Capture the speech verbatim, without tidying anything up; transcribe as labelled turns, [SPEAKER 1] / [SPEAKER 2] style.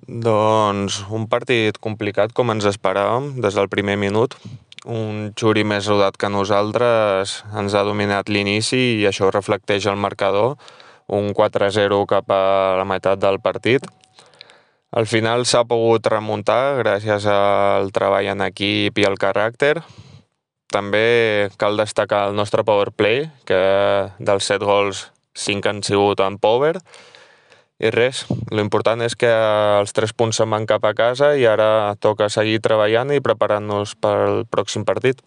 [SPEAKER 1] Doncs un partit complicat com ens esperàvem des del primer minut. Un Xuri més rodat que nosaltres ens ha dominat l'inici i això reflecteix el marcador, un quatre a zero cap a la meitat del partit. Al final s'ha pogut remuntar gràcies al treball en equip i al caràcter. També cal destacar el nostre power play, que dels set gols cinc han sigut en power. I res, l'important és que els tres punts se'n van cap a casa i ara toca seguir treballant i preparant-nos pel pròxim partit.